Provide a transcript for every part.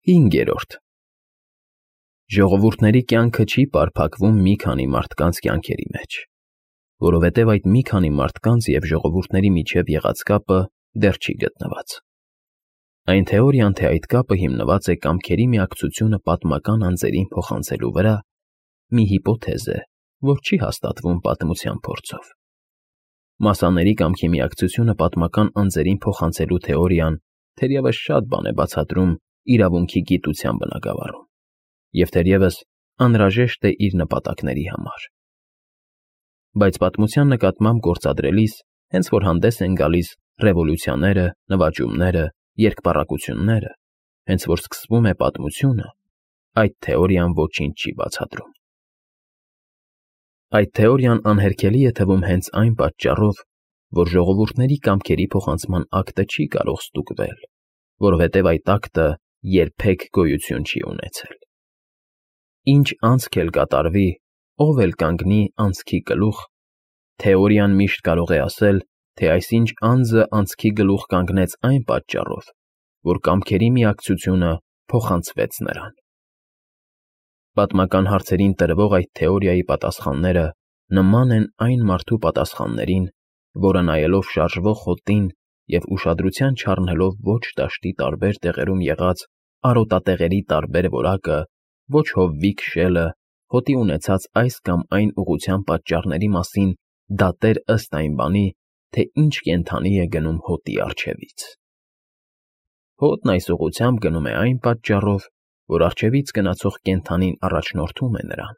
5. Ժողովուրդների կյանքը չի պարփակվում մի քանի մարդկանց կյանքերի մեջ, որովհետև այդ մի քանի մարդկանց և ժողովուրդների միջև եղած կապը դեռ չի գտնված։ Այն թեորիան, թե այդ կապը հիմնված է կամքերի միակցությունը պատմական անձերին փոխանցելու վրա, մի հիպոթեզ է, որ չի հաստատվում պատմության փորձով։ Մասաների կամքի միակցությունը պատմական անձերին փոխանցելու թեորիան թերևս շատ բան է բացատրում իրավունքի գիտության բնագավառում, և թերևս անհրաժեշտ է իր նպատակների համար։ Բայց պատմության նկատմամբ գործադրելիս, հենց որ հանդես են գալիս ռևոլյուցիաները, նվաճումները, երկպառակությունները, հենց որ սկսվում է պատմությունը, այդ թեորիան ոչինչ չի բացատրում։ Այդ թեորիան անհերքելի է թվում հենց այն պատճառով, որ ժողովուրդների կամքերի փոխանցման ակտը չի կարող ստուգվել, որովհետև այդ ակտը երբեք գոյություն չի ունեցել։ Ինչ անցք էլ կատարվի, ով էլ կանգնի անցքի գլուխ, թեորիան միշտ կարող է ասել, թե այսինչ անձը անցքի գլուխ կանգնեց այն պատճառով, որ կամքերի միակցությունը փոխանցվեց նրան։ Պատմական հարցերին տրվող այդ թեորիայի պատասխանները նման են այն մարդու պատասխաններին, որը նայելով շարժվող հոտին և ուշադրության չառնելով ոչ դաշտի տարբեր տեղերում եղած արոտատեղերի տարբեր որակը, ոչ հովվի քշելը, հոտի ունեցած այս կամ այն ուղղության պատճառների մասին դատեր ըստ այն բանի, թե ինչ կենդանի է գնում հոտի առջևից։ Հոտն այս ուղղությամբ գնում է այն պատճառով, որ առջևից գնացող կենդանին առաջնորդում է նրան,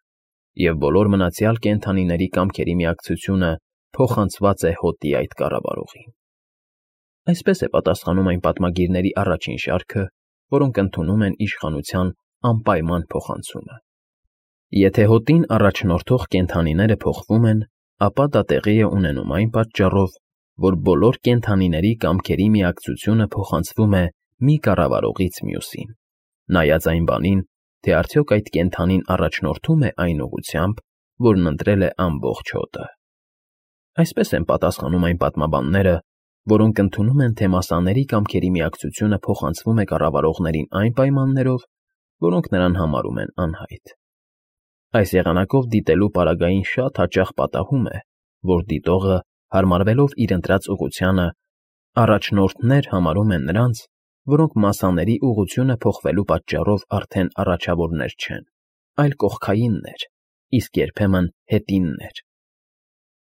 և բոլոր մնացյալ կենդանիների կամքերի միակցությունը փոխանցված է հոտի այդ կառավարողին։ Այսպես է պատասխանում այն պատմագիրների առաջին շարքը, որոնք ընդունում են իշխանության անպայման փոխանցումը։ Եթե հոտին առաջնորդող կենդանիները փոխվում են, ապա դա տեղի է ունենում այն պատճառով, որ բոլոր կենդանիների կամքերի միակցությունը փոխանցվում է մի կառավարողից մյուսին, նայած այն բանին, թե արդյոք այդ կենդանին առաջնորդում է այն ուղղությամբ, որն ընտրել է ամբողջ հոտը։ Այսպես են պատասխանում այն պատմաբանները, որոնք ընդունում են, թե մասաների կամքերի միակցությունը փոխանցվում է կառավարողներին այն պայմաններով, որոնք նրան համարում են անհայտ։ Այս եղանակով դիտելու պարագային շատ հաճախ պատահում է, որ դիտողը, հարմարվելով իր ընտրած ուղղությանը, առաջնորդներ համարում է նրանց, որոնք մասաների ուղղությունը փոխվելու պատճառով արդեն առաջավորներ չեն, այլ կողքայիններ, իսկ երբեմն հետիններ։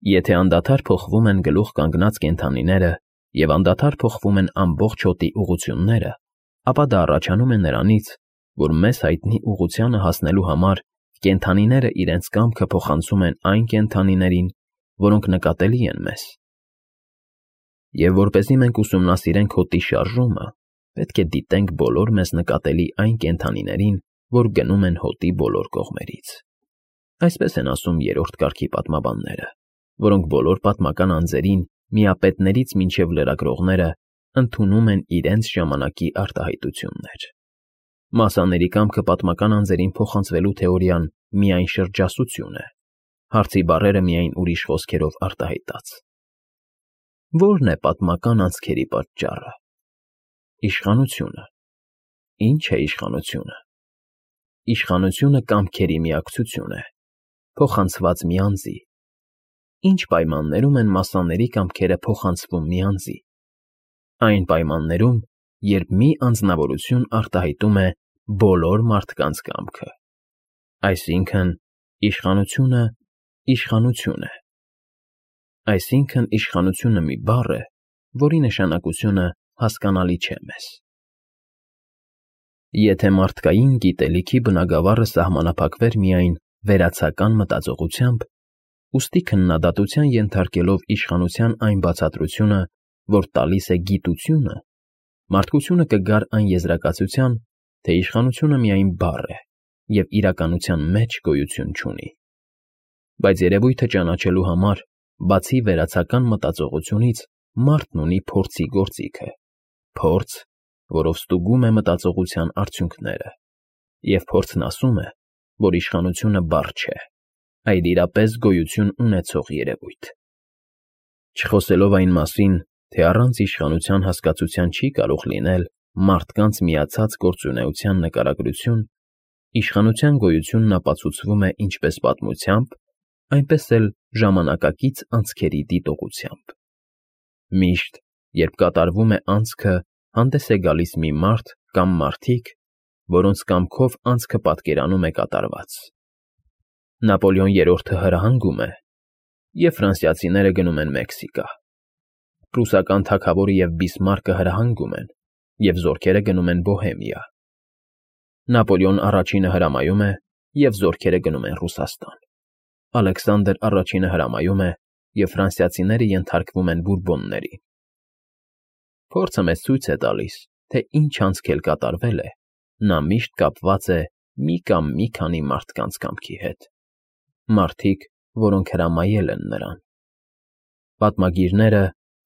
Եթե անդադար փոխվում են գլուխ կանգնած կենդանիները և անդադար փոխվում են ամբողջ հոտի ուղղությունները, ապա դա առաջանում է նրանից, որ մեզ հայտնի ուղղությանը հասնելու համար կենդանիները իրենց կամքը փոխանցում են այն կենդանիներին, որոնք նկատելի են մեզ։ Եվ որպեսզի մենք ուսումնասիրենք հոտի շարժումը, պետք է դիտենք բոլոր մեզ նկատելի այն կենդանիներին, որ գնում են հոտի բոլոր կողմերից։ Այսպես են ասում երրորդ կարգի պատմաբանները, որոնք բոլոր պատմական անձերին, միապետներից մինչև լրագրողները, ընդունում են իրենց ժամանակի արտահայտություններ։ Մասաների կամքը պատմական անձերին փոխանցվելու թեորիան միայն շրջասություն է, հարցի բառերը միայն ուրիշ խոսքերով արտահայտած։ Ո՞րն է պատմական անձքերի պատճառը։ Իշխանությունը։ Ինչ է իշխանությունը։ Իշխանությունը կամքերի միակցություն է, փոխանցված մի անձի։ Ինչ պայմաններում են մասաների կամքերը փոխանցվում մի անձի։ Այն պայմաններում, երբ մի անձնավորություն արտահայտում է բոլոր մարդկանց կամքը։ Այսինքն, իշխանությունը իշխանություն է։ Այսինքն, իշխանությունը մի բառ է, որի նշանակությունը հասկանալի չէ մեզ։ Եթե մարդկային գիտելիքի բնագավառը սահմանափակվեր միայն վերացական մտածողությամբ, ուստի քննադատության ենթարկելով իշխանության այն բացատրությունը, որ տալիս է գիտությունը, մարդկությունը կգար այն եզրակացության, թե իշխանությունը միայն բառ է և իրականության մեջ գոյություն չունի։ Բայց երևույթը ճանաչելու համար, բացի վերացական մտածողությունից, մարդն ունի փորձի գործիքը, փորձ, որով ստուգում է մտածողության արդյունքները, և փորձն ասում է, որ իշխանությունը բառ չէ, այլ իրապես գոյություն ունեցող երևույթ։ Չխոսելով այն մասին, թե առանց իշխանության հասկացության չի կարող լինել, մարդկանց միացած գործունեության նկարագրություն, իշխանության գոյությունն ապացուցվում է ինչպես պատմությամբ, այնպես էլ ժամանակակից անցքերի դիտողությամբ։ Միշտ, երբ կատարվում է անցքը, հանդես է գալիս մի մարդ կամ մարդիկ, որոնց կամքով անցքը պատկերանում է կատարված։ Նապոլեոն III-ը հրահանգում է, և ֆրանսիացիները գնում են Մեքսիկա։ Պրուսական թագավորը և Բիսմարկը հրահանգում են, և զորքերը գնում են Բոհեմիա։ Նապոլեոն I-ը հրամայում է, և զորքերը գնում են Ռուսաստան։ Ալեքսանդր I-ը հրամայում է, և ֆրանսիացիները ենթարկվում են Բուրբոններին։ Փորձը մեզ ցույց է տալիս, թե ինչ անցք էլ կատարվել է, նա միշտ կապված է մի կամ մի քանի մարդկանց կամքի հետ։ Մարդիկ, որոնք հրամայել են նրան։ Պատմագիրները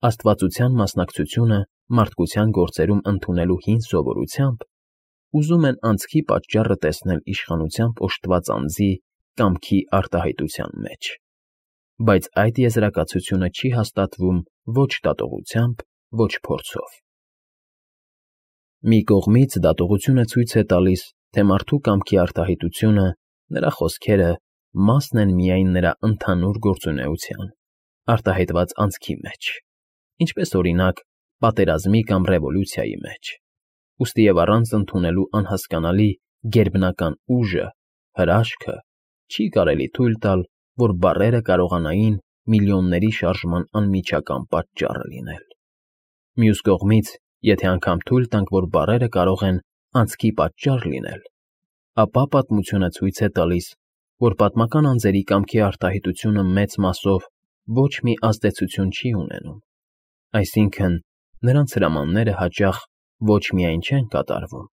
աստվածության մասնակցությունը մարդկության գործերում ընդունելու հին սովորությամբ ուզում են անցքի պատճառը տեսնել իշխանությամբ օժտված անձի կամքի արտահայտության մեջ, բայց այդ եզրակացությունը չի հաստատվում ոչ դատողությամբ, ոչ փորձով։ Մի կողմից դատողությունը ցույց է տալիս, թե մարդու կամքի արտահայտությունը, նրա խոսքերը մասն են միայն նրա ընդհանուր գործունեության, արտահայտված անցքի մեջ, ինչպես օրինակ պատերազմի կամ ռևոլյուցիայի մեջ, ուստի և առանց ընդունելու անհասկանալի գերբնական ուժը, հրաշքը, չի կարելի թույլ տալ, որ բառերը կարողանային միլիոնների շարժման անմիջական պատճառը լինել։ Մյուս կողմից, եթե անգամ թույլ տանք, որ բառերը կարող են անցքի պատճառ լինել, ապա պատմությունը ցույց է տալիս, որ պատմական անձերի կամքի արտահայտությունը մեծ մասով ոչ մի ազդեցություն չի ունենում, այսինքն նրանց հրամանները հաճախ ոչ միայն չեն կատարվում,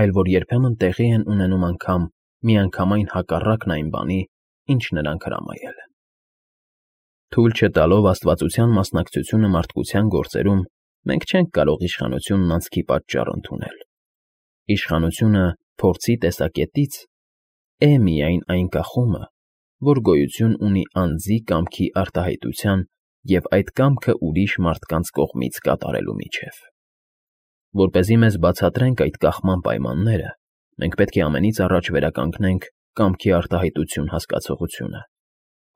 այլ որ երբեմն տեղի են ունենում անգամ միանգամայն հակառակն այն բանի, ինչ նրանք հրամայել են։ Թույլ չտալով աստվածության մասնակցությունը մարդկության գործերում, մենք չենք կարող իշխանությունն անցքի պատճառ ընդունել։ Իշխանությունը փորձի տեսակետից է միայն այն կախումը, որ գոյություն ունի անձի կամքի արտահայտության և այդ կամքը ուրիշ մարդկանց կողմից կատարելու միջև։ Որպեսզի մեզ բացատրենք այդ կախման պայմանները, մենք պետք է ամենից առաջ վերականգնենք կամքի արտահայտություն հասկացողությունը,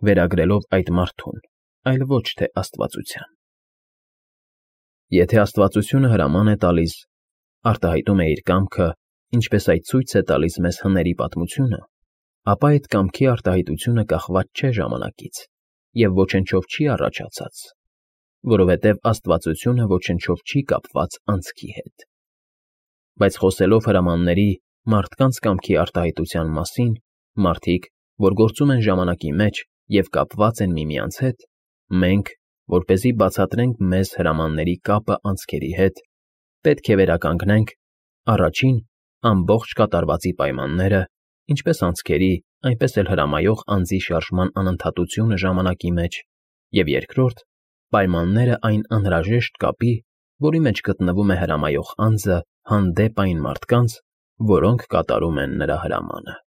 վերագրելով այդ մարդուն, այլ ոչ թե աստվածության։ Եթե աստվածությունը հրաման է տալիս, արտահայտում է իր կամքը, ինչպես այդ ցույց է տալիս մեզ հների պատմությունը, ապա այդ կամքի արտահայտությունը կախված չէ ժամանակից և ոչնչով չի առաջացած, որովհետև աստվածությունը ոչնչով չի կապված անցքի հետ։ Բայց խոսելով հրամանների մարդկանց կամքի արտահայտության մասին, մարդիկ, որ գործում են ժամանակի մեջ և կապված են միմյանց հետ, մենք, որպեսզի բացատրենք մեզ հրամանների կապը անցքերի հետ, պետք է վերականգնենք առաջին ամբողջ կատարվածի պայմանները, ինչպես անցքերի, այնպես էլ հրամայող անձի շարժման անընդհատությունը ժամանակի մեջ, և երկրորդ պայմանները այն անհրաժեշտ կապի, որի մեջ գտնվում է հրամայող անձը հանդեպ այն մարդկանց, որոնք կատարում են նրա հրամանը։